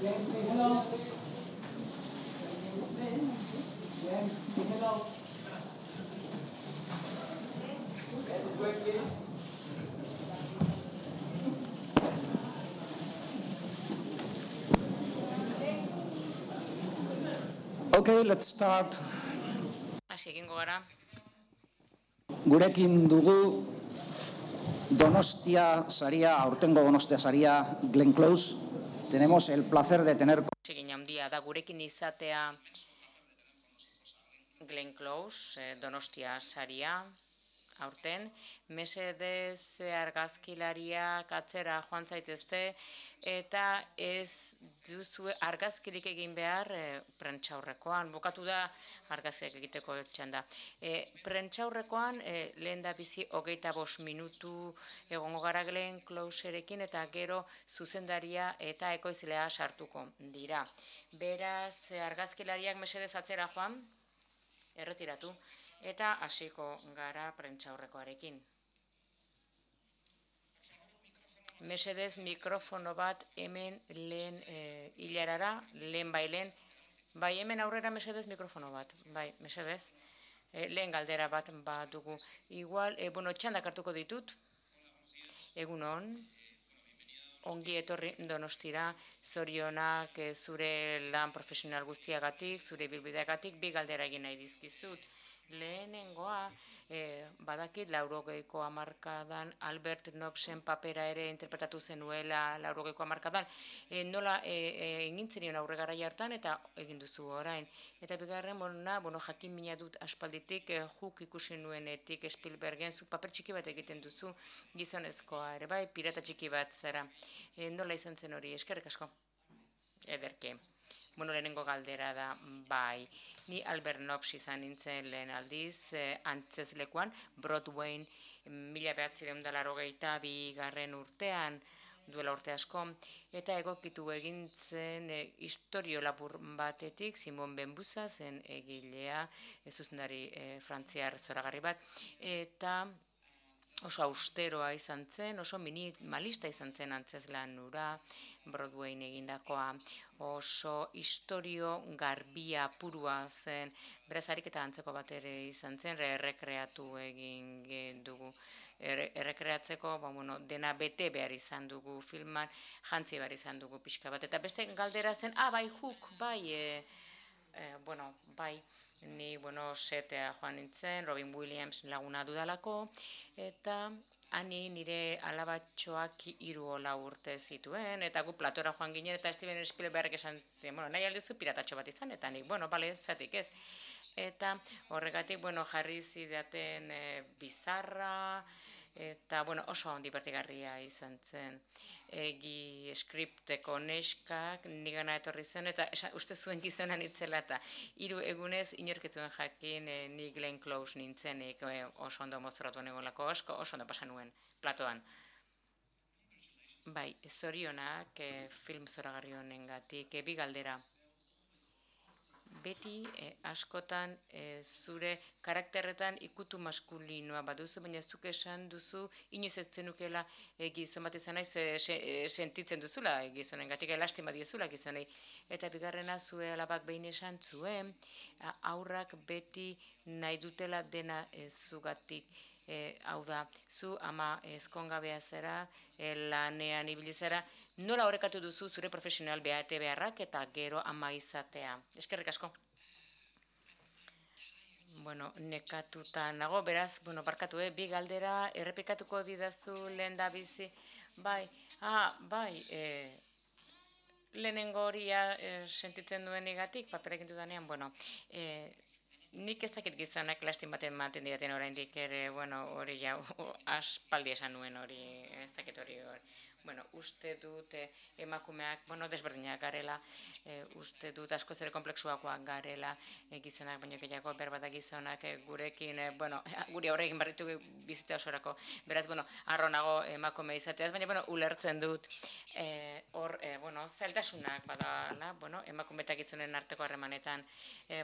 James, say hello. James, say hello. Let's wait, please. Okay, let's start. Hasi egingo gara. Gurekin dugu Donostia saria, aurtengo Donostia saria, Glenn Close. Tenemos el placer de tener... Egin handia da gurekin izatea Glenn Close, Donostia saria, aurten. Mesedez argazkilariak atzera joan zaitezte eta ez duzu argazkirik egin behar prentsaurrekoan. Bukatu da argazkiak egiteko txanda. Prentsaurrekoan lehen da bizi 25 minutu egongo gara Glenn Closerekin eta gero zuzendaria eta ekoizlea sartuko dira. Beraz, argazkilariak mesedez atzera joan, erretiratu, eta hasiko gara prentsaurrekoarekin. Mesedez mikrofono bat hemen lehen hilarara, lehen bailen, bai hemen aurrera mesedez mikrofono bat, bai mesedez, lehen galdera bat dugu. Igual, txandak hartuko ditut, egunon, ongi etorri Donostira, zorionak zure lan profesional guztiagatik, zure bilbideagatik, bi galdera egin nahi dizkizut. Lehenengoa, badakit 80ko hamarkadan Albert Nobsen papera ere interpretatu zenuela 80ko hamarkadan. Nola egin zenion aurre garai hartan eta egin duzu orain. Eta bigarren, jakin mina dut aspalditik, juk ikusi nuenetik Spielbergen, zu paper txiki bat egiten duzu, gizonezkoa ere bai, pirata txiki bat zara. Nola izan zen hori, eskerrik asko? Ederke. Lehenengo galdera da, bai, ni Albert Nobs izan nintzen lehen aldiz, antzezlekuan, Broadwayn 1982 urtean, duela urte asko, eta egokitu egin zen istorio labur batetik, Simon Benbuza zen egilea, zuzendari frantziar zoragarri bat, eta oso austeroa izan zen, oso minimalista izan zen antzezlan hura, Broadwayn egindakoa, oso istorio garbia purua zen, beraz ariketa antzeko bat ere izan zen, errekreatu egin dugu. Errekreatzeko, dena bete behar izan dugu filman, jantzi behar izan dugu pixka bat. Eta beste galdera zen, bai, Hook, bai, bai, ni, setea joan nintzen, Robin Williams laguna dudalako, eta hani nire alabatxoak 3 urte zituen, eta gu platora joan ginen, eta Steven Spielberg esan zen, nahi alduzu piratatxo bat izan, eta nik, bale, zatik ez. Eta horregatik, jarri zidaten bizarra, eta, oso divertigarria izan zen. Egi skripteko neskak nigana etorri zen, eta uste zuen gizonan itzela, eta 3 egunez inorketzuen jakin ni Glenn Close nintzenik oso ondo mozoratu negolako asko, oso ondo pasan nuen platoan. Bai, zorionak film zoragarri honengatik, bi galdera. Beti askotan zure karakterretan ikutu maskulinoa baduzu, baina zuk esan duzu inoiz ez zenukela gizon bat izan naiz sentitzen duzula gizonengatik, lastima diezula gizonei. Eta bigarrena zue alabak behin esan zuen, aurrak beti nahi dutela dena zugatik. Hau da, zu ama ezkongabea zera, lanean ibili zera, nola horrekatu duzu zure profesional behate beharrak eta gero ama izatea. Eskerrik asko. Nekatuta nago, beraz, barkatu, bi galdera, errepikatuko didazu lehen da bizi, bai, lehenengo horia sentitzen duen negatik, paperekin dudanean, nik ez dakit gizonak lastin baten ematen didaten oraindik ere, hori jau, aspaldi esan nuen hori, ez dakit hori. Uste dut emakumeak, desberdinak garela, uste dut askoz ere kompleksuakoak garela, gizonak, baino gehiago, berbada gizonak gurekin, guri aurre egin barritu bizitza osorako, beraz, arronago emakume izateaz, baina, ulertzen dut, hor, zailtasunak badala, emakume eta gizonen arteko harremanetan,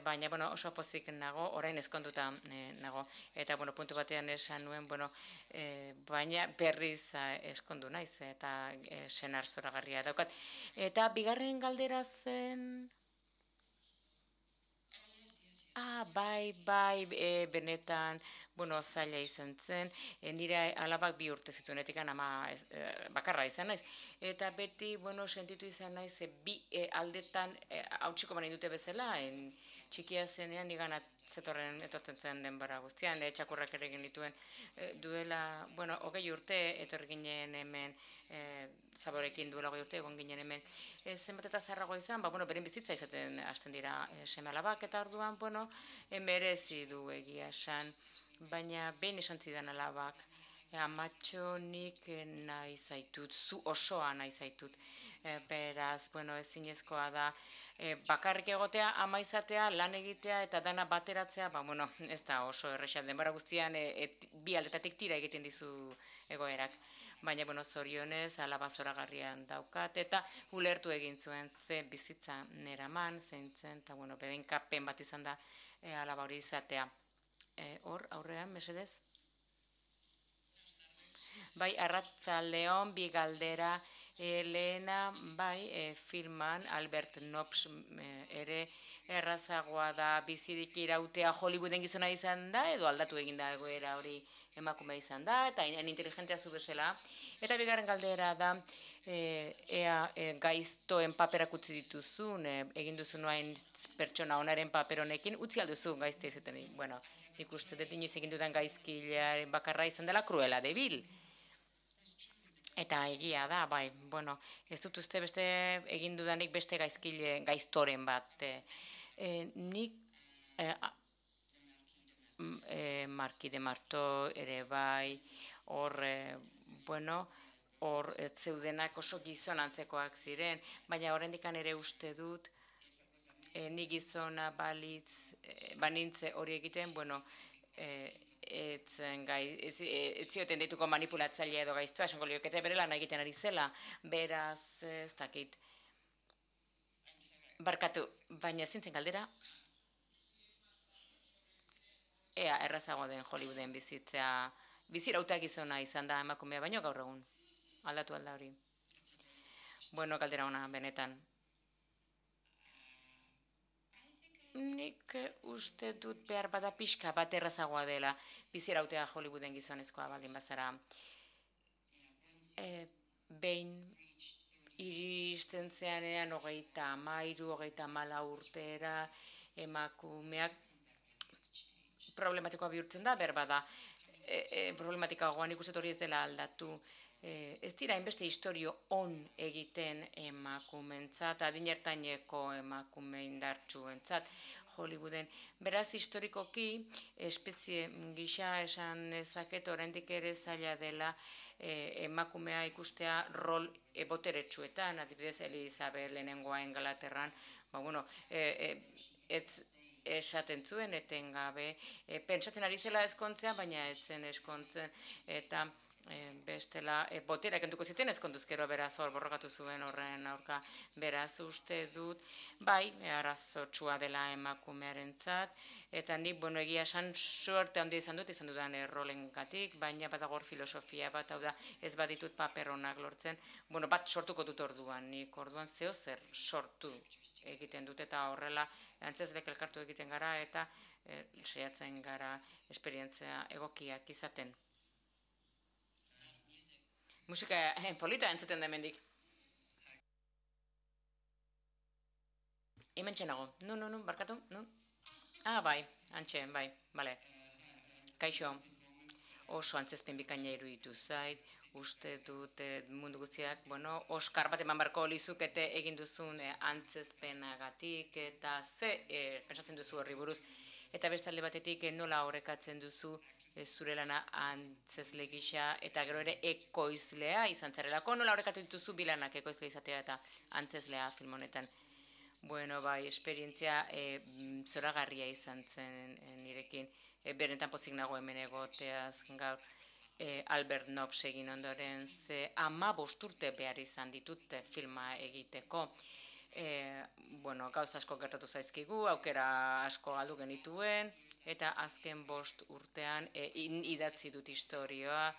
baina, oso pozik nago, orain ezkonduta nago, eta, puntu batean esan nuen, baina berriz ezkondu naiz, eta eta senar zoragarria daukat. Eta bigarren galdera zen... bai, benetan, zaila izan zen, nire alabak 2 urte zituenetik ama bakarra izan naiz. Eta beti, sentitu izan naiz, bi aldetan hautsiko bani dute bezala, txikia zenean nigan zetorren etortzen zen denbora guztian, txakurrak ere egin dituen duela, 20 urte etorri ginen hemen, Zaborekin duela 20 urte egon ginen hemen, zenbat eta zaharrago izan, beren bizitza izaten hasten dira seme alabak, eta orduan, merezi du egia esan, baina behin esan zidan alabak, amatxo nik nahi zaitut, zu osoa nahi zaitut, beraz, ezinezkoa da, bakarrik egotea, ama izatea, lan egitea eta dana bateratzea, ez da oso erresa, denbora guztian bi aldetatik tira egiten dizu egoerak. Baina, zorionez, alaba zoragarrian daukat, eta ulertu egin zuen ze bizitza neraman, zein zen, eta, bedenkapen bat izan da alaba hori izatea. Hor, aurrean, mesedez? Bai, arratzaldeon, bi galdera, lehena, filman, Albert Nobbs ere errazagoa da bizirik irautea Hollywooden gizona izan da, edo aldatu egin da egoera hori emakume izan da, eta inteligentea zu bezala. Eta bigarren galdera da, ea gaiztoen paperak utzi dituzun, egin duzu noain pertsona onaren paper honekin, utzi alduzu gaizte izaten. Nik uste dut inoiz egin dudan gaizkilearen bakarra izan dela Cruella de Vil. Eta egia da, ez dut uste beste egin dudanik beste gaiztoren bat. Nik Marquis de Marteau ere hor, hor zeudenak oso gizon antzekoak ziren, baina oraindik ere uste dut, ni gizona banintze hori egiten, ez zioten dituko manipulatzailea edo gaiztoa, esango liokete bere lan egiten ari zela, beraz, ez dakit. Barkatu, baina zintzen galdera, ea errazago den Hollywooden bizirauta gizona izan da emakumea, baino gaur egun, aldatu alda hori. Galdera ona, benetan. Nik uste dut behar bada pixka bat errazagoa dela bizirautea Hollywooden gizonezkoa baldin bazara. Behin iristen zeanean 33, 34 urtera emakumeak problematikoa bihurtzen da, berbada. Problematikagoan nik uste hori ez dela aldatu. Ez dira hainbeste historio on egiten emakumentzat, adinertaineko emakume indartsuentzat Hollywooden. Beraz, historikoki, espezie gisa esan ezaket, oraindik ere zaila dela emakumea ikustea rol boteretsuetan, adibidez Elizabeth lehenengoa Ingalaterran, ez esaten zuen etengabe, pentsatzen ari zela ezkontzea, baina ez zen ezkontzen, eta bestela boterak enduko ziten ezkonduzkero beraz hor borrokatu zuen horren aurka, beraz uste dut, arazotsua dela emakumearentzat, eta nik, egia esan suerte handia izan dudan errolengatik, baina badagor filosofia bat, hau da, ez baditut paper honak lortzen, bat sortuko dut orduan, nik orduan zer sortu egiten dut, eta horrela antzezlek elkartu egiten gara, eta saiatzen gara esperientzia egokiak izaten. Musika polita entzuten da hemendik. Hemen txenago. Nun, barkatu? Nun? Bai, antxe, bale. Kaixo, oso antzezpen bikaina iruditu zait, uste dut mundu guztiak, Oskar bat eman barko lizukete egin duzun antzezpenagatik, eta pentsatzen duzu horri buruz, eta bestalde batetik nola horrekatzen duzu zure lana antzezle gisa, eta gero ere ekoizlea izan zarelako, nola horrekatu dituzu bilanak ekoizle izatea eta antzezlea film honetan. Esperientzia zoragarria izan zen nirekin, berenetan pozik nago hemen egoteaz gaur, Albert Nobbs egin ondoren, 15 urte behar izan ditut filma egiteko. Gauz asko gertatu zaizkigu, aukera asko galdu genituen, eta azken 5 urtean idatzi dut historioa,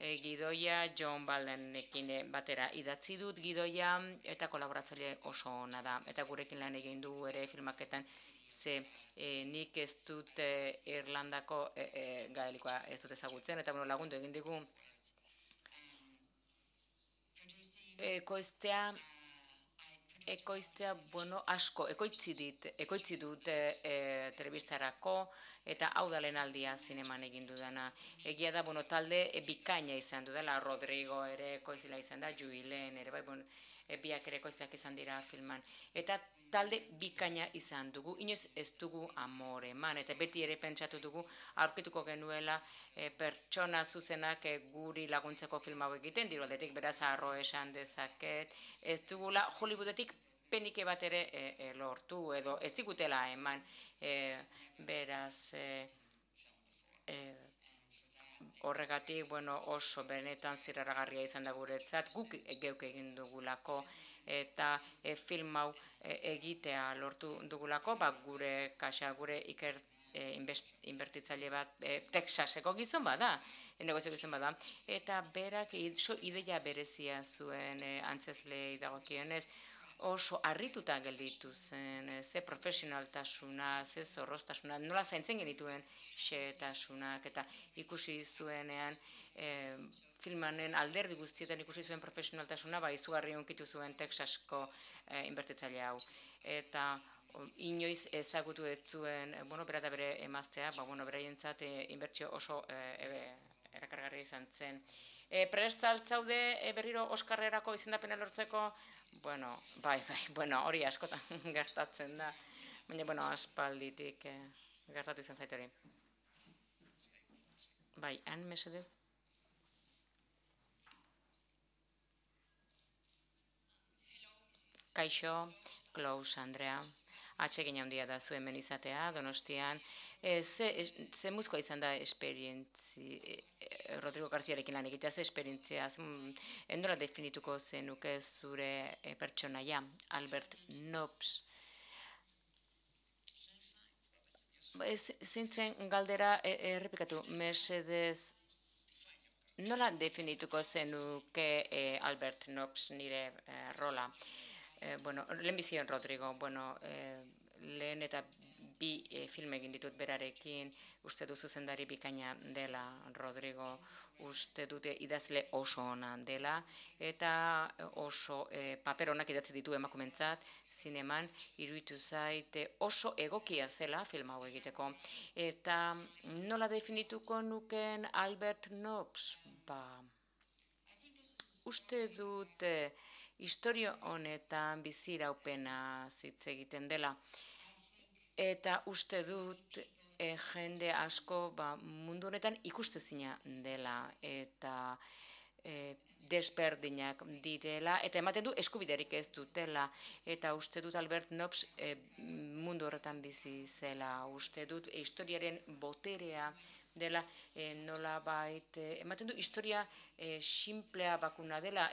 gidoia John Baldenekin batera idatzi dut gidoia eta kolaboratzaile oso ona da. Eta gurekin lan egin du ere filmaketan, ze nik ez dut Irlandako gaelikoa ez dut ezagutzen, eta lagundu egin digu ekoiztea, asko, ekoitzi dut telebistarako, eta hau da lehen aldia zineman egin dudana. Egia da, talde bikaina izan dudala, Rodrigo ere ekoizila izan da, Juilen ere, biak ere ekoizilak izan dira filman. Eta talde bikaina izan dugu, inoiz ez dugu amore eman, eta beti ere pentsatu dugu, aurkituko genuela pertsona zuzenak guri laguntzeko film hau egiten, diru aldetik beraz arro esan dezaket, ez dugula Hollywoodetik penike bat ere lortu, edo ez digutela eman, beraz horregatik oso benetan zirraragarria izan da guretzat, guk geuk egin dugulako, eta film hau egitea lortu dugulako, gure kaxa, gure inbertitzaile bat Texaseko gizon bada, negozio gizon bada, eta berak ideia berezia zuen antzezlei dagokionez, oso harrituta gelditu zen, ze profesionaltasuna, ze zorroztasuna, nola zaintzen genituen xehetasunak, eta ikusi zuenean filmanen alderdi guztietan ikusi zuen profesionaltasuna, izugarri hunkitu zuen Texasko inbertitzaile hau. Eta inoiz ezagutu ez zuen, bera eta bere emaztea, beraientzat inbertsio oso erakargarria izan zen. Prest zaude berriro Oskarrerako izendapena lortzeko? Hori askotan gertatzen da, baina aspalditik gertatu izan zait hori. Han mesedez? Kaixo, Klaus Andrea, atsegin handia da zu hemen izatea, Donostian. Ze muzkoa izan da Rodrigo Garziarekin lan egitea, ze esperientzia, nola definituko zenuke zure pertsonaia, Albert Nobbs. Zintzen galdera errepikatu, mesedez, nola definituko zenuke Albert Nobbs nire rola? Lehen bizion Rodrigo, lehen eta bi film egin ditut berarekin, uste du zuzendari bikaina dela Rodrigo, uste dute idazle oso ona dela, eta oso paper onak idatzi ditu emakumentzat, zineman, iruditu zait oso egokia zela film hau egiteko. Eta nola definituko nuken Albert Nobbs? Uste dut historio honetan biziraupena hitz egiten dela. Eta uste dut jende asko mundu honetan ikustezina dela eta desberdinak direla, eta ematen du eskubiderik ez dutela, eta uste dut Albert Nobbs mundu horretan bizi zela, uste dut historiaren boterea dela, nolabait, ematen du historia simplea bakuna dela,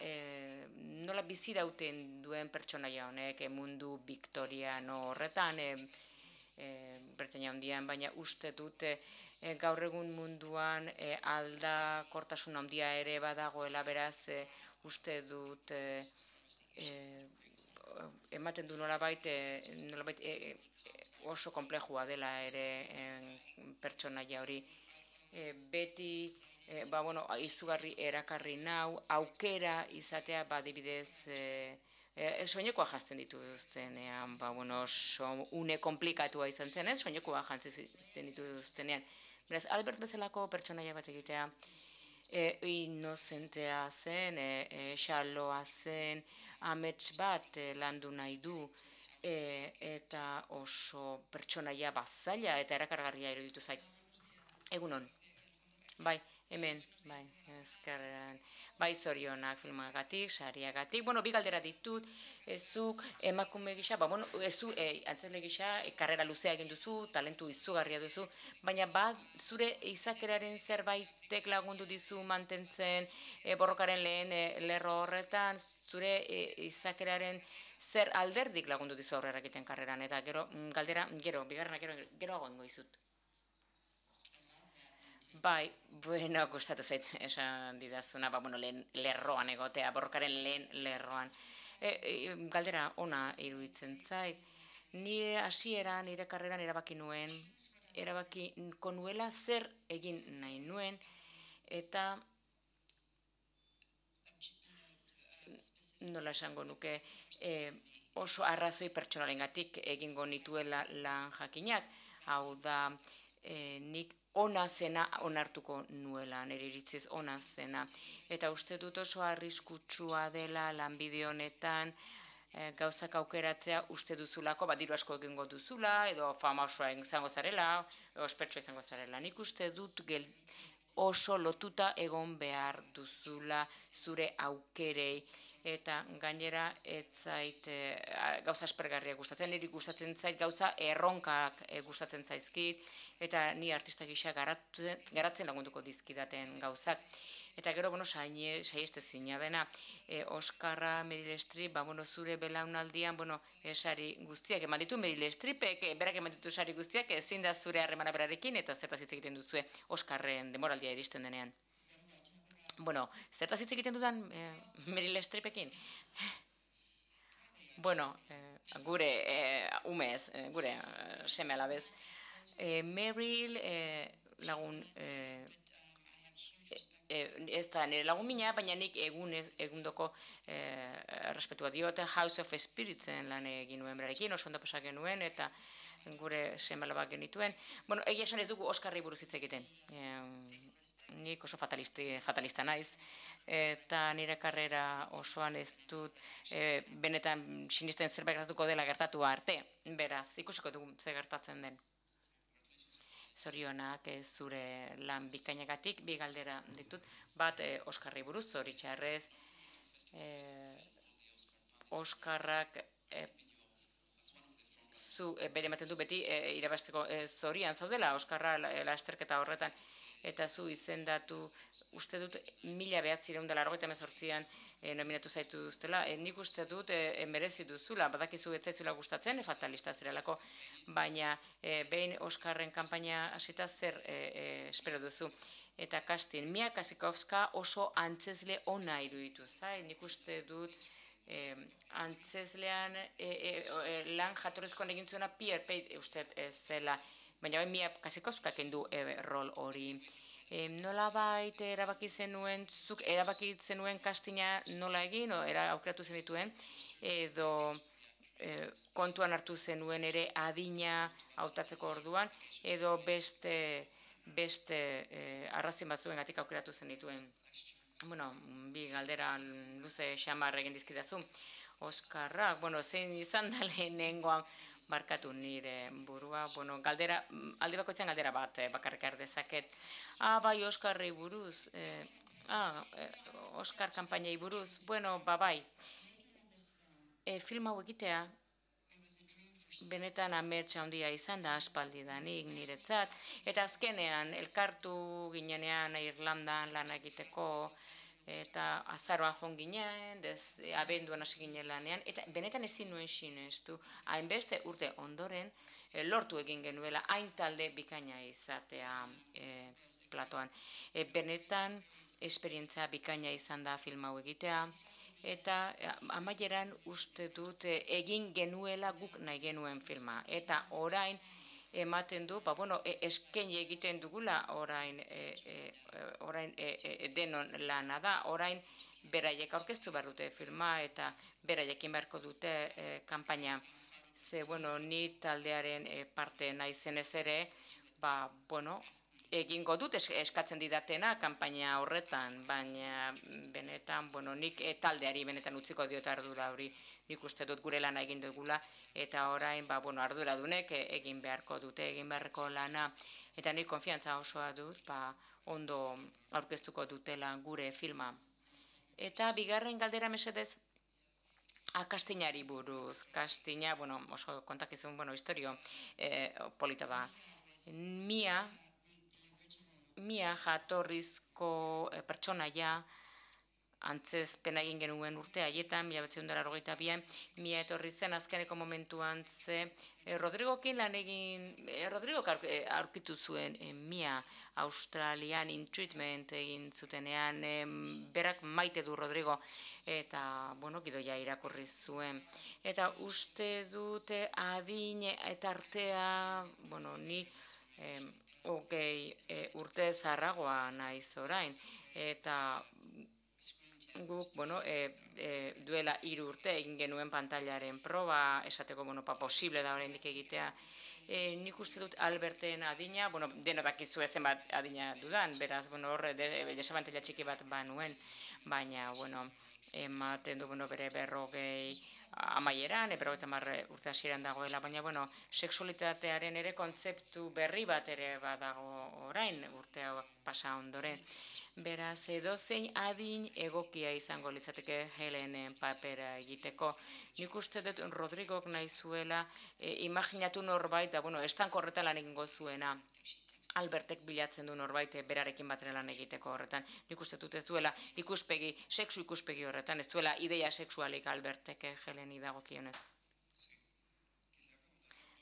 nola bizi dauten duen pertsonaia honek mundu viktoriano horretan, Britainia Handian, baina uste dut gaur egun munduan aldakortasun handia ere badagoela, beraz uste dut ematen du nolabait oso konplexua dela ere pertsonaia hori. Beti izugarri erakarri nau, aukera izatea adibidez soinekoa jazten dituztenean, oso une komplikatua izan zen, soinekoa jazten dituztenean. Beraz, Albert bezalako pertsonaia bat egitea, inozentea zen, xaloa zen, amets bat landu nahi du, eta oso pertsonaia bazaila eta erakargarria iruditu zait. Egunon. Bai, hemen, ezkerrean, zorionak filmagatik, sariagatik, bi galdera ditut, ezuk emakume gisa, ezu antzesle gisa, karrera luzea egin duzu, talentu izugarria duzu, baina zure izakeraren zerbaitek lagundu dizu mantentzen borrokaren lehen lerro horretan, zure izakeraren zer alderdik lagundu dizu aurrera egiten karreran, eta gero, galdera, bigarrena geroago ingo izut. Bai, bueno, gustatu zait esan didazuna, bueno, lehen lerroan egotea, borrokaren lehen lerroan. Galdera ona iruditzen zait. Nire hasiera, nire karreran erabakiko nuela zer egin nahi nuen, eta nola esango nuke, oso arrazoi pertsonalengatik egingo nituela lan jakinak. Hau da, nik ona zena onartuko nuela, nire iritziz ona zena. Eta uste dut oso arriskutsua dela lanbide honetan, gauzak aukeratzea uste duzulako, diru asko egingo duzula, edo fama osoa izango zarela, ospetsua izango zarela. Nik uste dut oso lotuta egon behar duzula zure aukerei, eta gainera ez zait gauza aspergarriak gustatzen, niri gustatzen zait gauza erronkak gustatzen zaizkit, eta ni artista gisa garatzen lagunduko dizkidaten gauzak. Eta gero, saiestezina dena, Oskarra, Meryl Streep, zure belaunaldian, sari guztiak eman ditu Meryl Streepek, berak eman ditu sari guztiak, ezin da zure harremana berarekin, eta zertaz hitz egiten duzue Oskarren demoraldia iristen denean. Zertaz hitz egiten dudan Meryl Streepekin? Gure umez, gure seme alabez. Meryl lagun ez da nire lagun mina, baina nik egundoko respetua diot, House of Spiritsen lan egin nuen berarekin, oso ondo pasak genuen, eta gure seme-alabak genituen. Egia esan ez dugu Oskarri buruz hitz egiten. Nik oso fatalista naiz, eta nire karrera osoan ez dut benetan sinisten zerbait gertatuko dela gertatu arte. Beraz, ikusiko dugu zer gertatzen den. Zorionak zure lan bikainagatik, bi galdera ditut, bat Oskarri buruz, zoritxarrez, Oskarrak zu bere ematen du beti irabazteko zorian zaudela, Oskarra lasterketa horretan, eta zu izendatu, uste dut 1998an nominatu zaitu duztela, nik uste dut merezi duzula, badakizu ez zaizula gustatzen, fatalista zerelako, baina behin Oskarren kanpaina hasita zer espero duzu. Eta casting, Mia Wasikowska oso antzezle ona iruditu zait, nik uste dut antzezlean lan jatorrezkoan egin zuena Pierre Pate uste ez zela, baina Mia Wasikowska kendu rol hori. Nola baita erabaki zenuen castinga nola egin, aukeratu zenituen, edo kontuan hartu zenuen ere adina hautatzeko orduan, edo beste arrazien batzuengatik aukeratu zenituen. Bi galdera luze xamar egin dizkidazu. Oskarrak, zein izan da lehenengoan barkatu nire burua, alde bakoitzean galdera bat bakarrik dezaket. Bai, Oskarri buruz, Oskar kanpainei buruz, bai. Film hau egitea, benetan ametsa handia izan da aspaldidanik niretzat, eta azkenean elkartu ginenean Irlandan lan egiteko, eta azaroan joan ginen, abenduan hasi ginen lanean, eta benetan ezin nuen sinestu, hainbeste urte ondoren, lortu egin genuela, hain talde bikaina izatea platoan. Benetan esperientzia bikaina izan da film hau egitea, eta amaieran uste dut egin genuela guk nahi genuen filma. Eta orain ematen du, eskaini egiten dugula orain denon lana da, orain beraiek aurkeztu behar dute filma eta beraiekin beharko dute kanpaina. Ze, ni taldearen parte naizenez ere, egingo dut eskatzen didatena kanpaina horretan, baina benetan, nik taldeari benetan utziko diot ardura hori, nik uste dut gure lana egin dugula, eta orain arduradunek egin beharko dute, egin beharreko lana, eta nik konfiantza osoa dut, ondo aurkeztuko dutela gure filma. Eta bigarren galdera mesedez, kastinari buruz, kastina, oso kontakizun, historio polita da. Mia jatorrizko pertsonaia antzezpena egin genuen urte haietan, 1982an, mia etorri zen azkeneko momentuan ze Rodrigokin lan egin, Rodrigok aurkitu zuen mia Australian in treatment egin zutenean, berak maite du Rodrigo, eta, bueno, gidoia irakurri zuen. Eta uste dute adin eta artea, bueno, ni urte zarragoa naiz orain, eta guk, bueno, duela 3 urte egin genuen pantailaren proba, esateko, bueno, posible da oraindik egitea. Nik uste dut Alberten adina, bueno, dena dakizu zenbat adina dudan, beraz, bueno, horre, desabantela txiki bat banuen, baina, bueno, ematen du, bueno, bere 40 amaieran, 50 urte hasieran dagoela, baina, bueno, sexualitatearen ere kontzeptu berri bat ere badago orain, urte hau pasa ondoren. Beraz, edozein adin egokia izango litzateke Helenen papera egiteko. Nik uste dut Rodrigok nahi zuela imaginatu norbait, da, bueno, estanko horretan lan egingo zuena. Albertek bilatzen du norbait berarekin batera lan egiteko horretan. Nik uste dut ez duela sexu ikuspegi horretan, ez duela ideia sexualik Albertek Heleni dagokionez.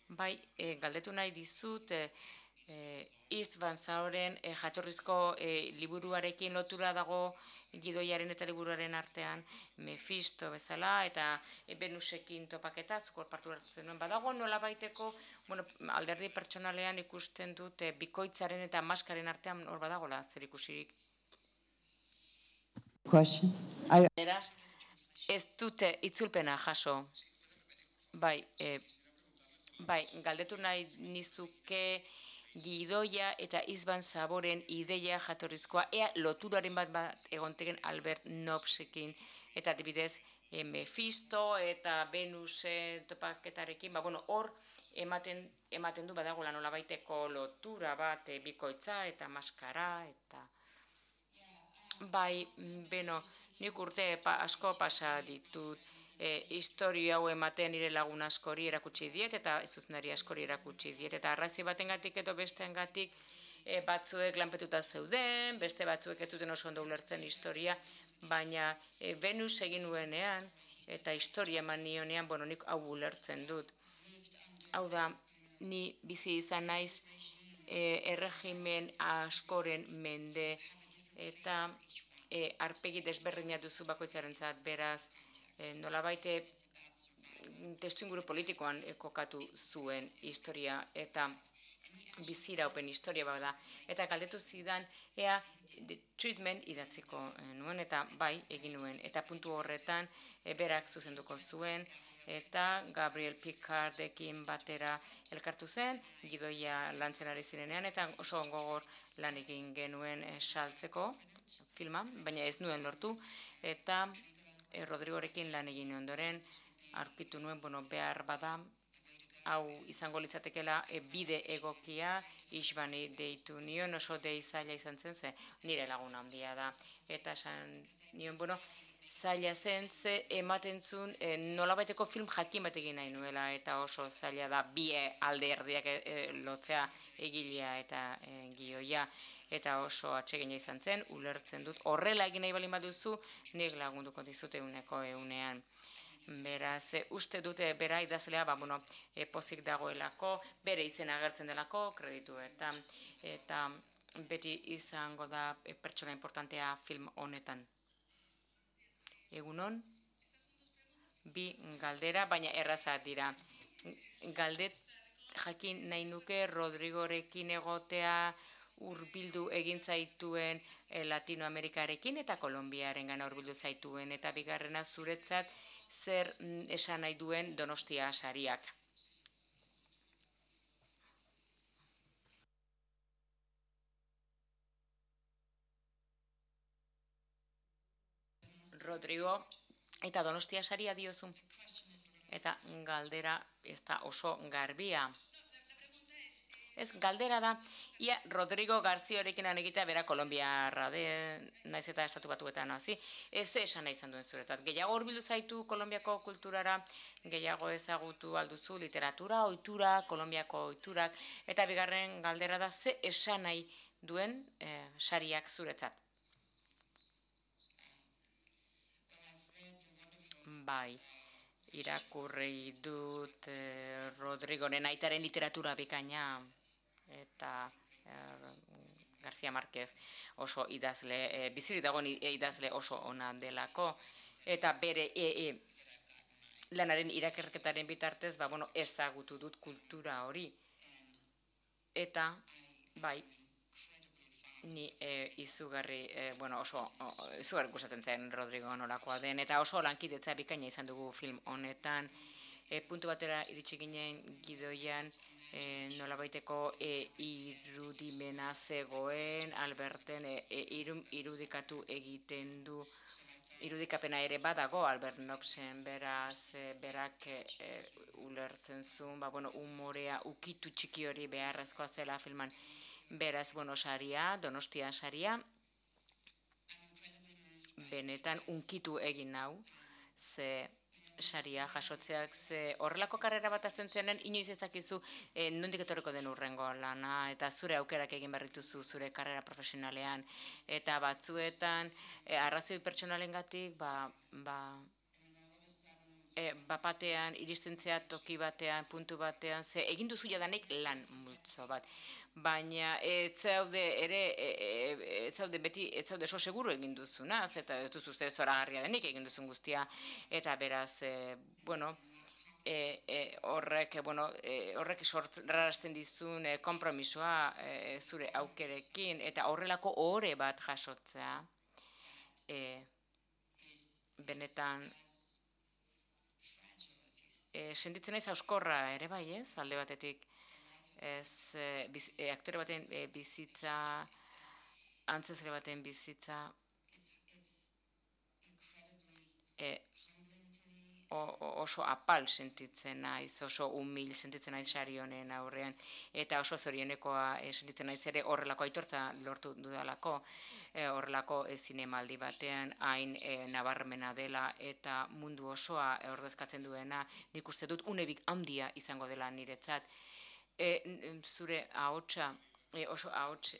Bai, galdetu nahi dizut, East Van Sauren jatorrizko liburuarekin lotura dago gidoiaren eta liburuaren artean Mephisto bezala eta Venusekin topaketa, zukor partu hartzen nuen badago nola baiteko, bueno, alderdi pertsonalean ikusten dut bikoitzaren eta maskaren artean hor badagola zer ikusirik. Ez dute itzulpena jaso. Bai, galdetu nahi nizuke gidoia eta Izban Saboren ideia jatorrizkoa, ea loturaren bat egonteken Albert Nobsekin, eta adibidez Mephisto eta Venuse topaketarekin, bueno, hor ematen du badagoela nolabaiteko lotura bat bikoitza eta maskara, eta bai, beno, nik urte asko pasa ditut, historia hau ematen nire lagun askori erakutsi diet eta zuzenari askori erakutsi diet eta arrazoi batengatik edo besteengatik batzuek lanpetuta zeuden, beste batzuek ez zuten oso ondo ulertzen historia, baina Venus egin nuenean eta historia eman nionean, bueno, nik hau ulertzen dut. Hau da, ni bizi izan naiz erregimen askoren mende eta arpegi desberdina duzu bakoitzarentzat, beraz, nolabait testuinguru politikoan kokatu zuen historia eta biziraupen historia bada. Eta galdetu zidan, ea treatment idatziko nuen, eta bai, egin nuen. Eta puntu horretan, berak zuzenduko zuen, eta Gabriel Picardekin batera elkartu zen, gidoia lantzen ari zirenean, eta oso gogor lan egin genuen saltzeko filma, baina ez nuen lortu, eta Rodrigorekin lan egin ondoren, aurkitu nuen, bueno, behar bada, hau izango litzatekela bide egokia, Isbani deitu nion, oso zaila izan zen, ze nire laguna handia da. Eta esan nion, bueno, zaila zen, ze ematen zuen nolabaiteko film jakin bat egin nahi nuela, eta oso zaila da bi alde erdiak lotzea egilea eta gioia. Eta oso atsegina izan zen, ulertzen dut, horrela egin nahi balin baduzu, nik lagunduko dizute egunean. Beraz, uste dute bera idazlea, bueno, pozik dagoelako, bere izena agertzen delako, kredituetan, eta beti izango da pertsona importantea film honetan. Egunon, bi galdera, baina errazak dira. Galdet jakin nahi nuke Rodrigorekin egotea, hurbildu egin zaituen Latinoamerikarekin eta Kolonbiaren gana hurbildu zaituen, eta bigarrena zuretzat zer esan nahi duen Donostia sariak. Rodrigo eta Donostia saria diozu. Eta galdera ez da oso garbia. Ez, galdera da, ia Rodrigo Garziorekin egitea bera Kolonbiarra naiz eta estatu batuetan hasi. Ez esan nahi izan duen zuretzat. Gehiago hurbildu zaitu Kolonbiako kulturara, gehiago ezagutu alduzu literatura, ohitura, Kolonbiako ohiturak, eta bigarren galdera da ze esan nahi duen sariak zuretzat. bai, irakurri dut Rodrigoren aitaren literatura bikaina, eta García Márquez oso idazle, bizirik dagoen idazle oso ona delako, eta bere lanaren irakerketaren bitartez, ezagutu dut kultura hori. Eta, bai, ni izugarri gustatzen zen Rodrigo nolakoa den, eta oso lankidetza bikaina izan dugu film honetan. Puntu batera iritsi ginen gidoian, nolabaiteko irudimena zegoen, Alberten irudikatu egiten du, irudikapena ere badago Albert Nobsen, beraz, berak ulertzen zuen, umorea ukitu txiki hori beharrezkoa zela filman. Beraz, saria, Donostian saria, benetan unkitu egin nau, ze saria jasotzeak, ze horrelako karrera bat azten zenen, inoiz ezakizu nondik etorriko den urrengo lana, eta zure aukerak egin berrituzu zure karrera profesionalean, eta batzuetan, arrazoi pertsonalengatik, batean, iristentzea toki batean, puntu batean, ze egin duzu jadanik lan multzo bat. Baina ez zaude beti, ez zaude so seguru egin duzuna, eta ez duzu ze zoragarria denik egin duzun guztia, eta beraz, horrek sorrarazten dizun konpromisoa zure aukerekin, eta horrelako ohore bat jasotzea, benetan, sentitzen naiz hauskorra ere bai, ez, alde batetik, aktore baten bizitza, antzezle baten bizitza, oso apal sentitzen naiz, oso humil sentitzen naiz sari honen aurrean, eta oso zorionekoa sentitzen naiz ere horrelako aitortza lortu dudalako, horrelako zinemaldi batean hain nabarmena dela eta mundu osoa ordezkatzen duena, nik uste dut unebik handia izango dela niretzat. Zure ahotsa, oso ahots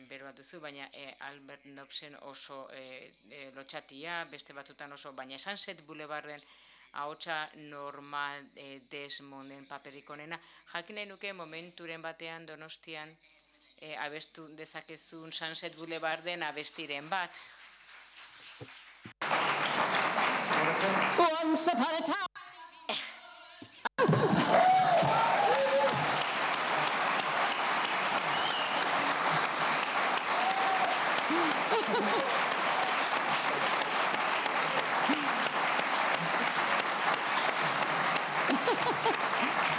bero bat duzu, baina Albert Nobsen oso lotxatia, beste batzutan oso, baina Sunset Boulevarden ahotsa normal Desmonden paperik onena. Jakin nahi nuke momenturen batean Donostian abestu dezakezun Sunset Boulevarden abestiren bat. Once upon a time.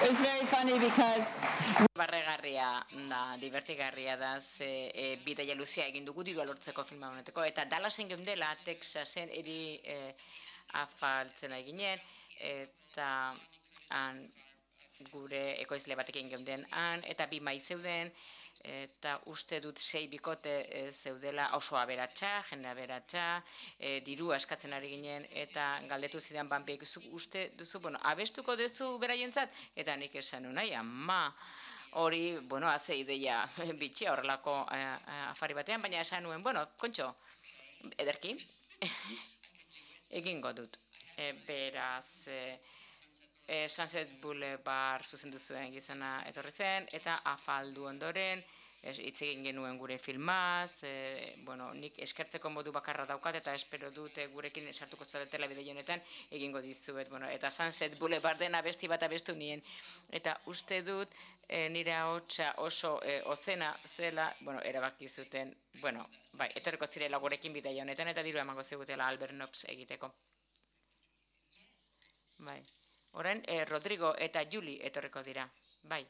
It was very funny because barregarria da, divertigarria da, bidaia luzea egin dugu dirua lortzeko filma honeteko, eta Dallasen geundela, Texasen eri afaltzen eginen, eta gure ekoizle batekin geunden eta bi mai zeuden, eta uste dut 6 bikote zeudela oso aberatsa, jende aberatsa, dirua eskatzen ari ginen, eta galdetu zidan banpiek, uste duzu, abestuko duzu beraientzat, eta nik esan nahi, ama, hori, haze ideia bitxia horrelako afari batean, baina esan nuen, kontxo, ederki, egingo dut, beraz, Sunset Boulevard zuzendu zuen gizona etorri zen, eta afaldu ondoren, hitz egin genuen gure filmaz, nik eskertzeko modu bakarra daukat, eta espero dute gurekin sartuko zaretela bideo honetan egingo dizuet, eta Sunset Boulevarden abesti bat abestu nien, eta uste dut nire ahotsa oso ozena zela, erabaki zuten, etorriko zirela gurekin bideo honetan, eta diru emango zigutela Albert Nobs egiteko. Bai. Orain, Rodrigo eta Juli etorriko dira. Bai.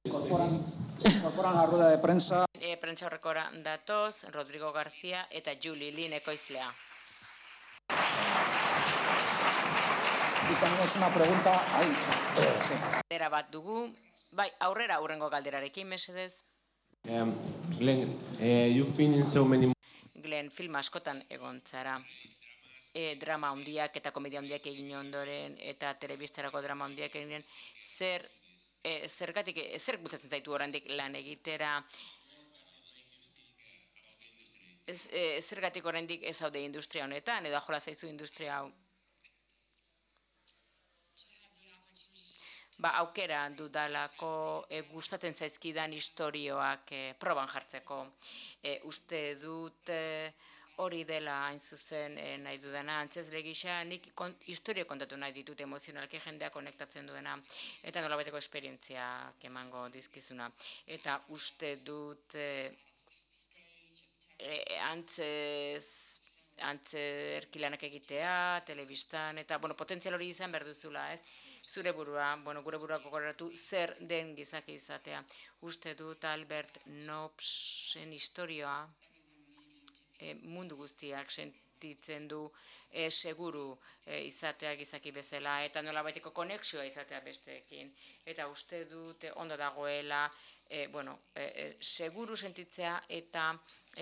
Incorporan la rueda de prensa. Prentsa horrekora datoz, Rodrigo García eta Juli Lin ekoizlea. Y tenemos una pregunta ahí. Sí. Galdera bat dugu. Bai, aurrera hurrengo galderarekin, mesedez. Glenn, you've been in so many... Glenn, film askotan egon zara. Drama handiak eta komedia handiak egin ondoren, eta telebistarako drama handiak egin, zer bultzatzen zaitu oraindik lan egitera, zergatik oraindik ez zaude industria honetan, edo jola zaizu industria hau. Aukera dudalako gustatzen zaizkidan istorioak proban jartzeko. Uste dut hori dela hain zuzen nahi dudana, antzezle gisa, nik historio kontatu nahi ditut emozionalki jendea konektatzen duena, eta nolabaiteko esperientziak emango dizkizuna. Eta uste dut antzerkilanak egitea, telebistan, eta potentzial hori izan behar duzula, ez? Zure burua, gure burua gogoratu zer den gizaki izatea. Uste dut Albert Nobbsen historioa mundu guztiak sentitzen du seguru izatea gizaki bezala, eta nolabaiteko konexioa izatea besteekin. Eta uste dut ondo dagoela, seguru sentitzea eta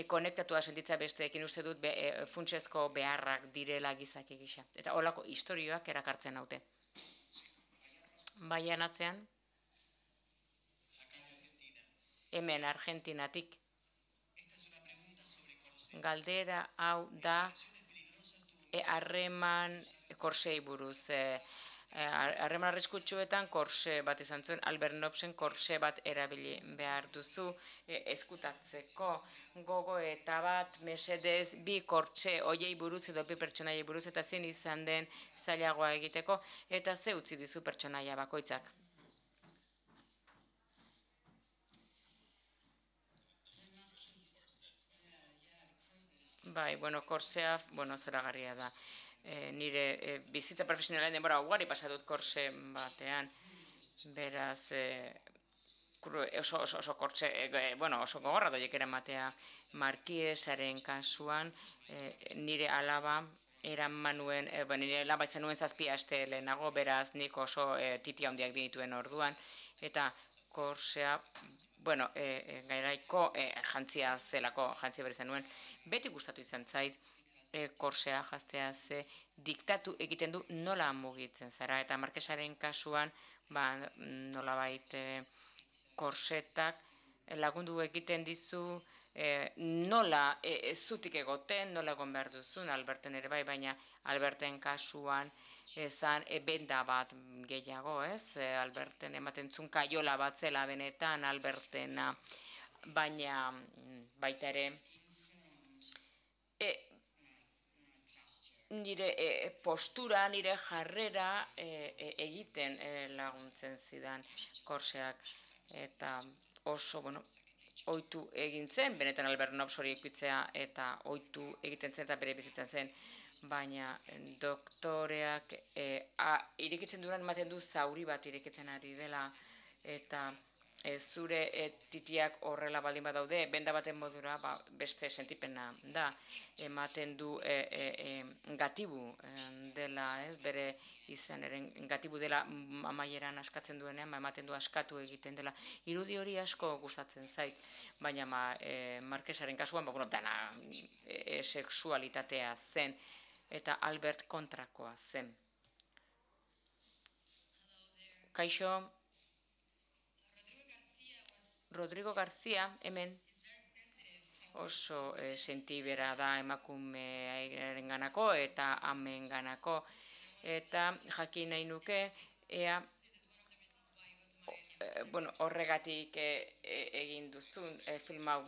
konektatua sentitzea besteekin, uste dut funtsezko beharrak direla gizaki gisa. Eta holako istorioak erakartzen haute. Baian atzean, hemen Argentinatik. Galdera hau da harreman korsei buruz. Harreman arriskutsuetan korse bat izan zuen, Albert Nobbsen korse bat erabili behar duzu eskutatzeko. Gogo eta bat, mesedez, bi kortxe oiei buruz edo bi pertsonaiei buruz, eta zein izan den zailagoa egiteko, eta ze utzi dizu pertsonaia bakoitzak. Korsea, zoragarria da. Nire bizitza profesionalen denbora ugari pasadut korse batean, beraz, oso kortxe, oso gogorra doiek eramatea. Markiesaren kasuan, nire alaba eraman nuen, nire alaba izan nuen 7 aste lehenago, beraz nik oso titi handiak dinituen orduan, eta korsea, gairaiko jantzia zelako, jantzia berrizan nuen, beti gustatu izan zait, korsea jaztea ze diktatu egiten du nola mugitzen zara, eta Markesaren kasuan nolabait korsetak lagundu egiten dizu nola zutik egoten, nola egon behar duzun, Alberten ere bai, baina Alberten kasuan ezan benda bat gehiago, ez? Alberten ematen zun kaiola bat zela benetan Albertena, baina baita ere nire postura, nire jarrera egiten laguntzen zidan korseak, eta oso, ohitu egin zen, benetan Albert Nobbs hori ikutzea, eta ohitu egiten zen eta bere bizitzen zen, baina doktoreak irekitzen duran ematen du zauri bat irekitzen ari dela, eta zure titiak horrela baldin badaude, benda baten modura beste sentipena da, ematen du gatibu dela, bere izanaren gatibu dela amaieran askatzen duenean, ematen du askatu egiten dela. Irudi hori asko gustatzen zait, baina Markesaren kasuan, dana sexualitatea zen, eta Albert kontrakoa zen. Kaixo, Rodrigo García, hemen, oso sentibera da emakumearen ganako eta amen ganako. Eta jakin nahi nuke, ea, horregatik egin duzun film hau.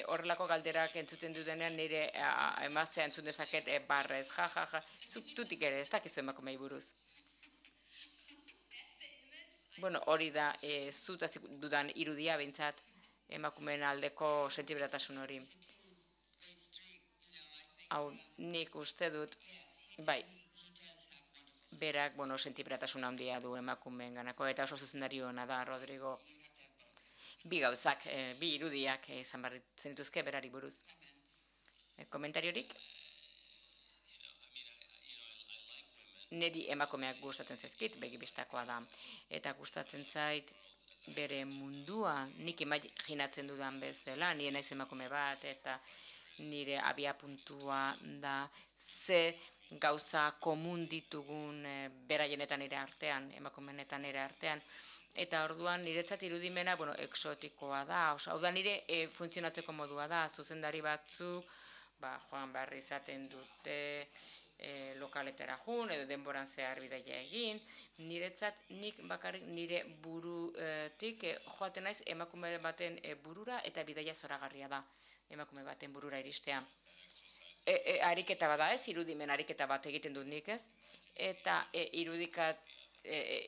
Horrelako galderak entzuten dudenean nire emaztea entzun dezaket barrez, tutik ere, ez dakizu emakumei buruz. Hori da, zutazik dudan irudia behintzat, emakumeen aldeko sentiberatasun hori. Hau, nik uste dut, bai, berak, sentiberatasun handia du emakumeen ganako, eta oso zuzendari hona da, Rodrigo. Bi gauzak, bi irudiak izan behar zenituzke berari buruz. Komentariorik? Niri emakumeak gustatzen zaizkit, begibistakoa da. Eta gustatzen zait bere mundua, nik imaginatzen dudan bezala, nire naiz emakume bat, eta nire abiapuntua da ze gauza komun ditugun beraienetan nire artean, emakumeenetan nire artean. Eta orduan niretzat irudimena, exotikoa da, hau da nire funtzionatzeko modua da, zuzendari batzuk, joan behar izaten dute lokaletara jun, edo denboran zehar bidaia egin, niretzat nik bakarrik nire burutik joaten naiz emakume baten burura eta bidaia zoragarria da emakume baten burura iristea. Ariketa bada ez, irudimen ariketa bat egiten dut nik ez, eta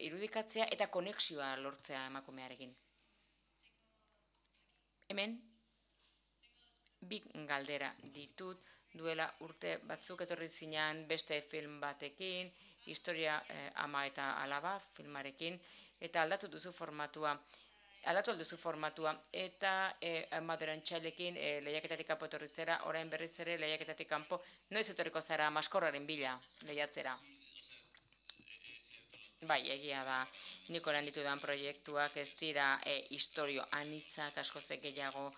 irudikatzea eta konexioa lortzea emakumearekin. Hemen, bi galdera ditut, duela urte batzuk etorri zinean beste film batekin, historia ama eta alaba filmarekin, eta aldatu alduzu formatua, eta maderantxailekin lehiaketatik kanpo etorri zera, orain berriz ere lehiaketatik kanpo, noiz etorriko zara maskorraren bila lehiatzera. Bai, egia da, nik orain ditudan proiektuak ez dira historio anitzak, askoz gehiago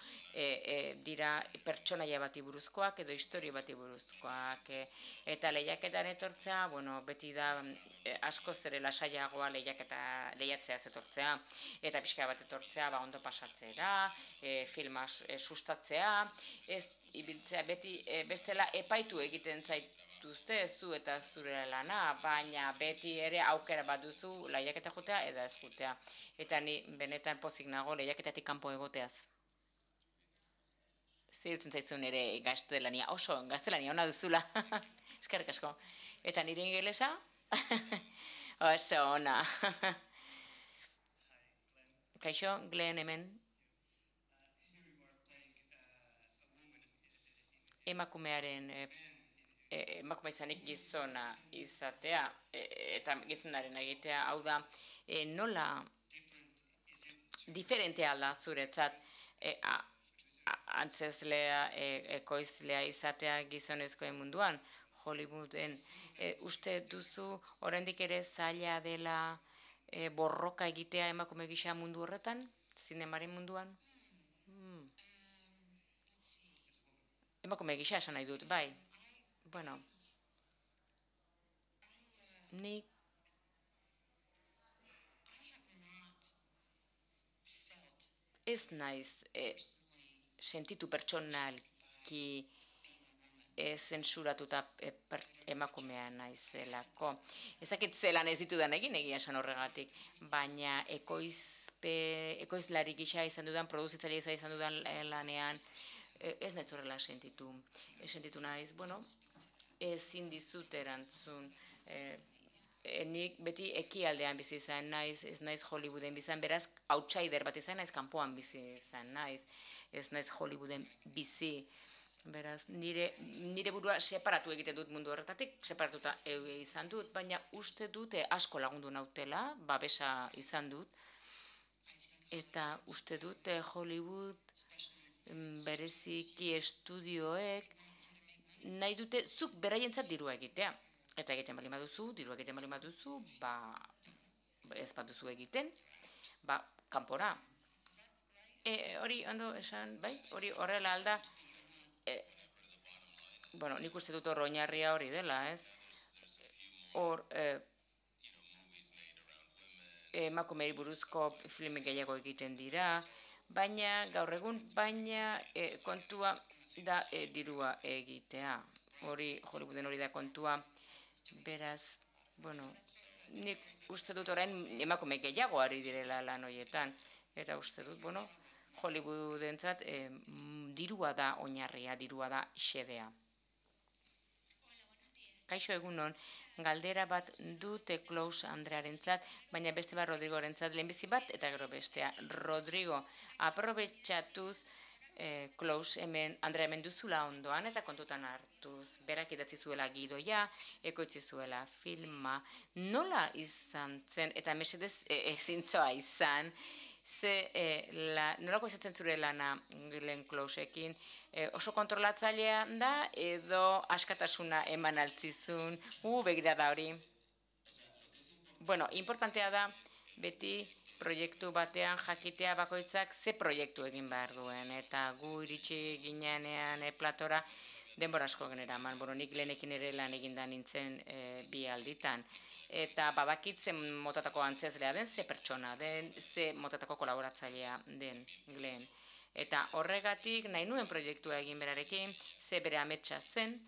dira pertsonaia bati buruzkoak edo historio bati buruzkoak. Eta lehiaketan etortzea, beti da askoz ere lasaiagoa lehiatzea etortzea, eta pixka bat etortzea ondo pasatzera, filma sustatzea, ez ibiltzea beti bestela epaitu egiten zait, zu eta zure lana, baina beti ere aukera bat duzu lehiaketa jotea edo ez jotea. Eta ni benetan pozik nago lehiaketatik kanpo egoteaz. Zirtzen zaizun ere gaztelania, oso gaztelania ona duzula, eskerrik asko. Eta nire ingelesa, oso ona. Kaixo, Glen hemen. Emakumearen emakume izanik gizona izatea eta gizonaren egitea, hau da, nola diferentea da zuretzat antzeslea, ekoizlea izatea gizonezkoen munduan, Hollywooden. Uste duzu oraindik ere zaila dela borroka egitea emakume gisa mundu horretan, zinemaren munduan? Emakume gisa esan nahi dut, bai. Nik ez naiz sentitu pertsonalki zensuratuta emakumea naizelako. Ezakit zelan ez ditudan egin egia esan horregatik, baina ekoizlari gisa izan dudan, produzitzaile izan dudan lanean, ez naiz horrela sentitu. Sentitu naiz, ezin dizut erantzun. Nik beti ekialdean bizi izan naiz, ez naiz Hollywooden bizan, beraz, outsider bat izan naiz, kanpoan bizi izan naiz, ez naiz Hollywooden bizi. Beraz, nire burua separatu egiten dut mundu horretatik, separatuta izan dut, baina uste dute asko lagundu nautela, babesa izan dut, eta uste dute Hollywood bereziki estudioek nahi dute zuk beraientzat dirua egitea. Eta egiten bali baduzu, dirua egiten bali baduzu, ez bat duzu egiten, kanpora. Hori ondo esan, bai, hori horrela alda, nik uste dut hor oinarria hori dela, ez? Hor, emakumei buruzko filmek gehiago egiten dira, baina gaur egun, kontua da dirua egitea. Hori, Hollywooden hori da kontua. Beraz, nik uste dut orain emakume gehiago ari direla lan horietan. Eta uste dut, Hollywoodentzat dirua da oinarria, dirua da xedea. Kaixo egunon, galdera bat dute Klaus Andrearentzat, baina beste bat Rodrigorentzat, lehenbizi bat eta gero bestea. Rodrigo, aprobetxatuz Klaus Andrea hemen duzula ondoan eta kontutan hartuz. Berak idatzi zuela gidoia, ekoitzi zuela filma. Nola izan zen, eta mesedez ezintzoa izan, nolako izatzen zure lana Glenn Closeekin, oso kontrolatzailea da edo askatasuna eman altzizun, begira da hori. Importantea da beti proiektu batean jakitea bakoitzak ze proiektu egin behar duen, eta gu iritsi ginean platora denbora asko generaman. Nik lehenekin ere lan eginda nintzen 2 alditan. Eta badakit ze motatako antzezlea den, ze pertsona den, ze motatako kolaboratzailea den Glen. Eta horregatik nahi nuen proiektua egin berarekin, ze bere ametsa zen,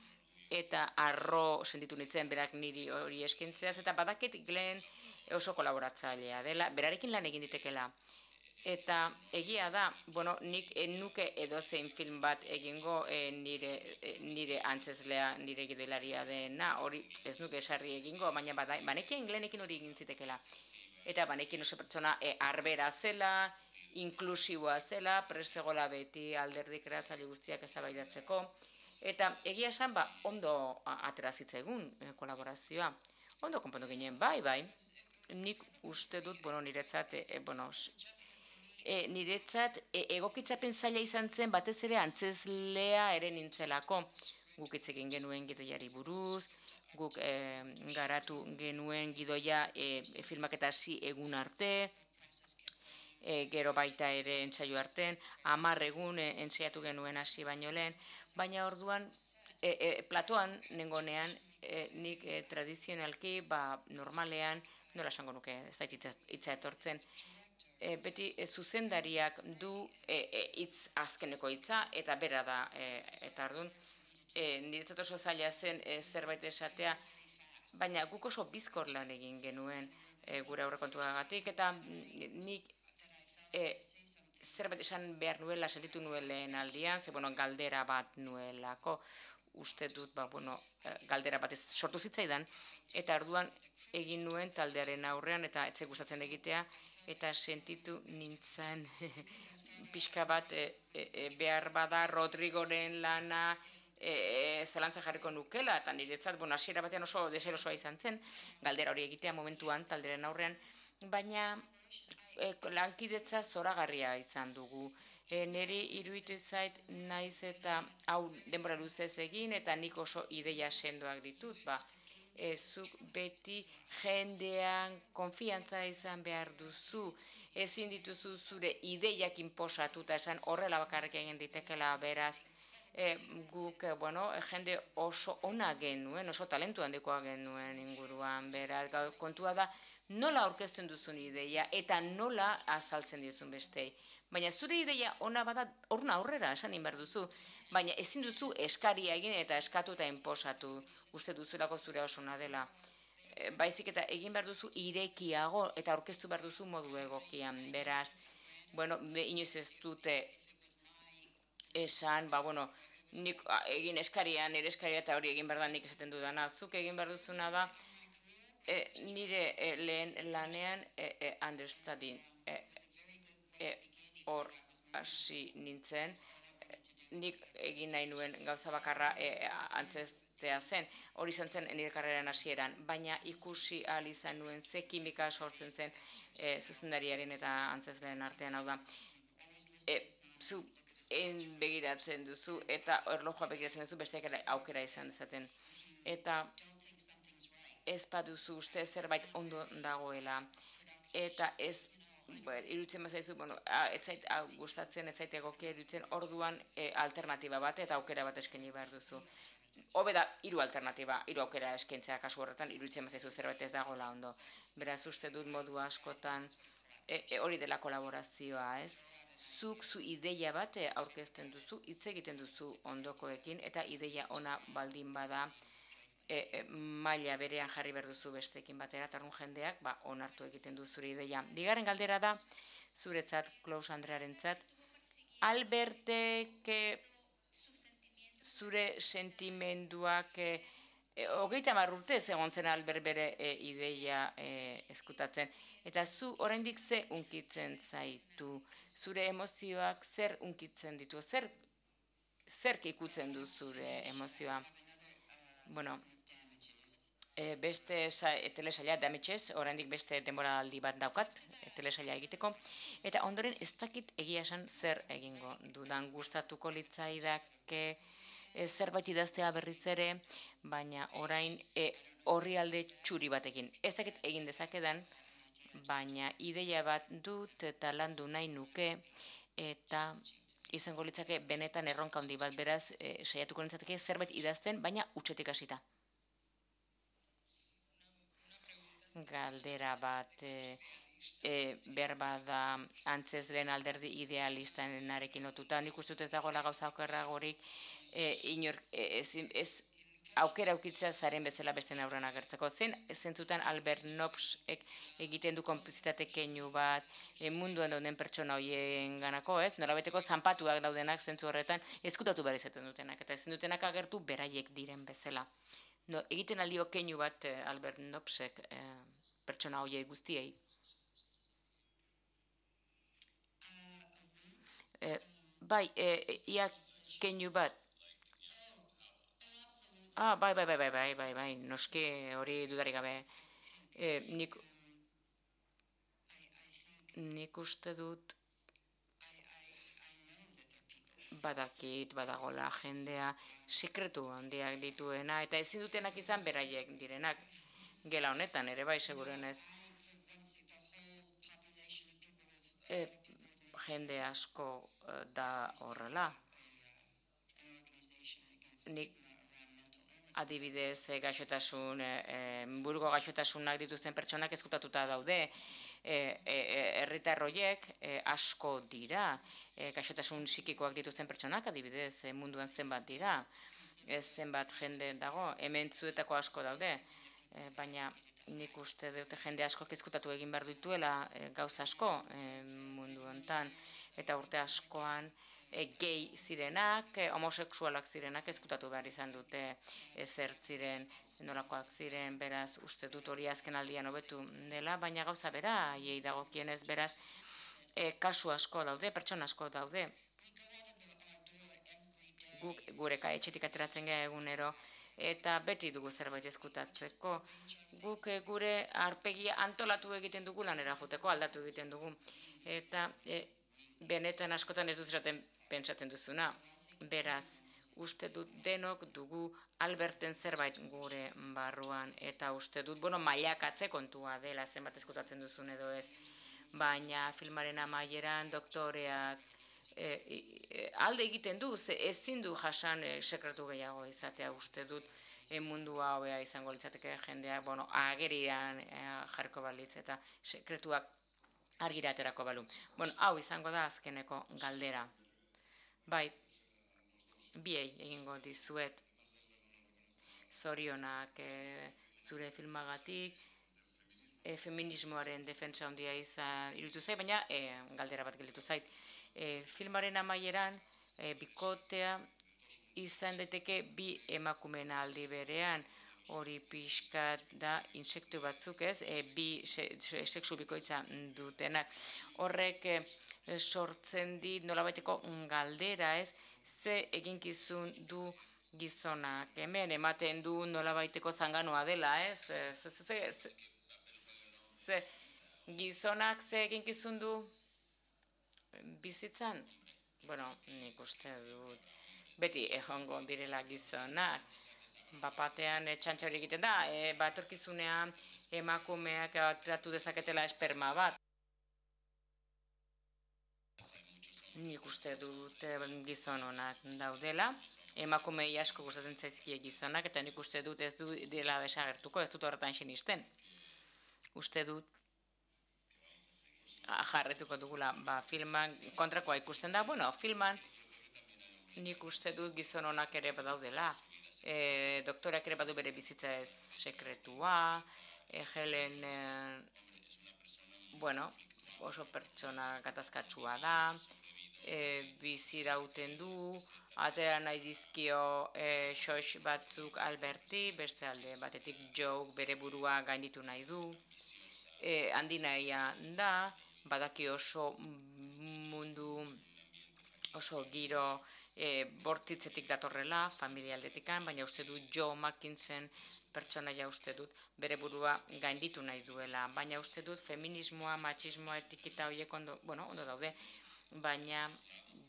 eta arro sentitu nintzen berak niri hori eskintzeaz, eta badakit Glen oso kolaboratzailea dela, berarekin lan egin ditekela. Eta egia da, nik nuke edozein film bat egingo nire antzezlea, nire gidoilaria dena, hori ez nuke esarri egingo, baina banekien Glenekin hori egin zitekeela. Eta banekin oso pertsona arbera zela, inklusiboa zela, presegola beti alderdi kreatzaile guztiak eztabaidatzeko. Eta egia esan, ondo atera zitzaigun kolaborazioa. Ondo konpondu ginen, bai. Nik uste dut, niretzat, niretzat egokitzapen zaila izan zen batez ere antzezlea ere nintzelako. Guk hitz egin genuen gidoiari buruz, guk garatu genuen gidoia filmaketa hasi egun arte, gero baita ere entsaio artean, 10 egun entsaiatu genuen hasi baino lehen, baina orduan platoan nengonean nik tradizionalki, normalean, nola esango nuke, ez zait hitza etortzen, beti zuzendariak du azkeneko hitza, eta bera da, eta orduan, niretzat oso zaila zen zerbait esatea, baina guk oso bizkor lan egin genuen gure aurrekontuagatik, eta nik zerbait esan behar nuela, sentitu nuen lehen aldian, ze galdera bat nuelako, uste dut, galdera bat sortu zitzaidan, eta orduan egin nuen taldearen aurrean, eta etxe gustatzen egitea, eta sentitu nintzen pixka bat behar bada Rodrigoren lana zelantza jarriko nukela, eta niretzat, hasiera batean oso deserosoa izan zen, galdera hori egitea momentuan taldearen aurrean, baina lankidetza zoragarria izan dugu. Niri iruditu zait naiz eta hau denbora luzez egin, eta nik oso ideia sendoak ditut, zuk beti jendean konfiantza izan behar duzu, ezin dituzu zure ideiak inposatuta esan horrela bakarrik egin ditekela, beraz, guk, jende oso ona genuen, oso talentu handikoa genuen inguruan, beraz, kontua da, nola aurkezten duzun ideia eta nola azaltzen dizun bestei. Baina zure ideia ona bada aurrera esan behar duzu, baina ezin duzu eskaria egin eta eskatu eta inposatu, uste duzulako zure osona dela. Baizik eta egin behar duzu irekiago eta aurkeztu behar duzu modu egokian, beraz, inoiz ez dute esan, nik egin eskaria, nire eskaria eta hori egin behar da nik esaten dudana, zuk egin behar duzuna da, nire lehen lanean understudying, hor hasi nintzen, nik egin nahi nuen gauza bakarra antzestea zen, hori izan zen nire karreran hasieran, baina ikusi ahal izan nuen ze kimika sortzen zen zuzendariaren eta antzesleen artean, hau da, zu begiratzen duzu eta erlojua begiratzen duzu besteak aukera izan dezaten. Eta ez baduzu uste zerbait ondo dagoela, eta ez iruditzen bazaizu, ez zait gustatzen, ez zait egokia iruditzen, orduan alternatiba bat eta aukera bat eskaini behar duzu. Hobe da, 3 alternatiba, 3 aukera eskaintzea kasu horretan, iruditzen bazaizu zerbait ez dagoela ondo. Beraz, uste dut modu askotan hori dela kolaborazioa, ez? Zuk zu ideia bat aurkezten duzu, hitz egiten duzu ondokoekin, eta ideia ona baldin bada maila berean jarri behar duzu besteekin batera, eta orduan jendeak onartu egiten du zure ideia. Bigarren galdera da, zuretzat, Klaus Andrearentzat, Albertek zure sentimenduak 30 urtez egon zen Albert bere ideia eskutatzen, eta zu oraindik ze unkitzen zaitu, zure emozioak zer unkitzen ditu, zerk ikutzen du zure emozioa. Beste telesaila Damages, oraindik beste denboraldi bat daukat, telesaila egiteko, eta ondoren ez dakit egia esan zer egingo dudan, gustatuko litzaidake zerbait idaztea berriz ere, baina orain orrialde txuri batekin. Ez dakit egin dezakedan, baina ideia bat dut eta landu nahi nuke, eta izango litzake benetan erronka handi bat, beraz, saiatuko litzateke zerbait idazten, baina hutsetik hasita. Galdera bat, berba da antzezlen alderdi idealistarekin lotuta. Nik uste dut ez dagoela gauza okerragorik, ez aukera aukitzea zaren bezala beste aurrean agertzeko. Zentzutan Albert Nobbsek egiten du konplizitate keinu bat munduan dauden pertsona horien ganako, ez? Nolabaiteko zanpatuak daudenak zentzu horretan ezkutatu behar izaten dutenak, eta ezin dutenak agertu beraiek diren bezala. Egiten aldio keinu bat Albert Nobbsek pertsona horiei guztiei. Bai, ia keinu bat. Bai, noski hori dudarik gabe. Nik uste dut badagola jendea sekretu handiak dituena, eta ezin dutenak izan beraiek direnak. Gela honetan ere bai, segurenez. Jende asko da horrela. Nik adibidez buruko gaixotasunak dituzten pertsonak ezkutatuta daude. Herritar horiek asko dira. Gaixotasun psikikoak dituzten pertsonak adibidez munduan zenbat dira. Zenbat jende dago, hemen zuetako asko daude. Baina nik uste dute jende asko ezkutatu egin behar dituela gauza asko mundu honetan. Eta urte askoan gay zirenak, homosexualak zirenak ezkutatu behar izan dute zer ziren, nolakoak ziren, beraz uste dut hori azken aldian hobetu dela, baina gauza bera, hiei dagokienez beraz, kasu asko daude, pertsona asko daude. Guk gure etxetik ateratzen gara egunero, eta beti dugu zerbait ezkutatzeko. Guk gure aurpegia antolatu egiten dugu lanera joteko, aldatu egiten dugu. Eta benetan askotan ez duzeraten pentsatzen duzuna. Beraz, uste dut denok dugu Alberten zerbait gure barruan, eta uste dut, mailakatze kontua dela zenbat ezkutatzen duzun edo ez. Baina filmaren amaieran doktoreak alde egiten du, ezin du jasan sekretu gehiago izatea, uste dut mundua hobea izango litzateke jendeak, agerian jarko balitz eta sekretuak argira aterako balu. Hau izango da azkeneko galdera. Bai, biei egingo dizuet zorionak zure filmagatik, feminismoaren defentsa handia izan iruditu zait, baina galdera bat gelditu zait. Filmaren amaieran bikotea izan daiteke bi emakumeen aldi berean, hori pixkat da insektu batzuk ez, bi sexu bikoitza dutenak. Horrek sortzen dit nolabaiteko galdera ez, ze eginkizun du gizonak. Hemen ematen du nolabaiteko zanganoa dela ez, gizonak ze eginkizun du bizitzan? Nik uste dut beti egongo direla gizonak. Bapatean txantxa hori egiten da, etorkizunean emakumeak atratu dezaketela esperma bat. Nik uste dut gizon onak daudela, emakumei asko gustatzen zaizkie gizonak, eta nik uste dut ez du dela desagertuko, ez dut horretan sinisten. Uste dut jarretuko dugula, filman kontrakoa ikusten da, filman nik uste dut gizon onak ere badaudela. Doktorak ere badu bere bizitza ez sekretua, Helen, oso pertsona gatazkatsua da, bizirauten du, atera nahi dizkio xox batzuk Alberti, beste alde batetik Joe bere burua gainditu nahi du, handi nahia da, badaki oso mundu, oso giro bortitzetik datorrela, familialdetikan, baina uste dut Joe Mackinson pertsonaia uste dut bere burua gainditu nahi duela, baina uste dut feminismoa, matxismoa, etiketa horiek ondo daude, baina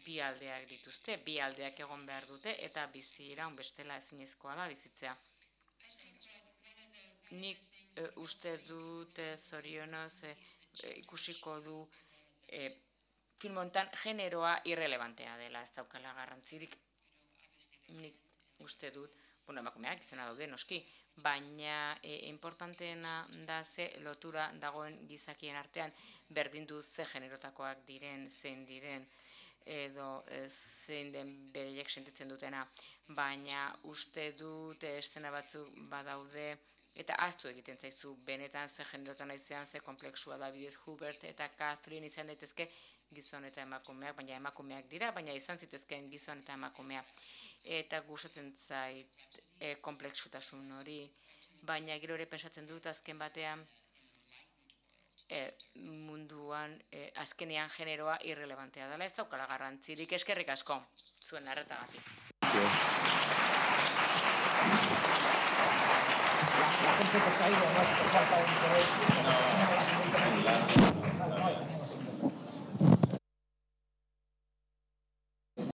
bi aldeak dituzte, bi aldeak egon behar dute, eta bizi iraun bestela ezinezkoa da bizitzea. Nik uste dut zorionez ikusiko du film honetan generoa irrelevantea dela, ez daukala garrantzirik. Nik uste dut, emakumeak izena daude noski, baina importanteena da ze lotura dagoen gizakien artean berdin du ze generotakoak diren, zein diren, edo zein den bereiek sentitzen dutena, baina uste dut eszena batzuk badaude, eta ahaztu egiten zaizu benetan ze generotan naizean, ze komplexua da bidez Hubert eta Catherine izan daitezke gizon eta emakumeak, baina emakumeak dira, baina izan zitezkeen gizon eta emakumea. Eta gustatzen zait komplexutasun hori, baina gero ere pensatzen dut azken batean munduan azkenean generoa irrelevantea dela, ez daukala garrantzirik. Eskerrik asko zuen arretagatik. La gente que se ha ido no es por falta de interés.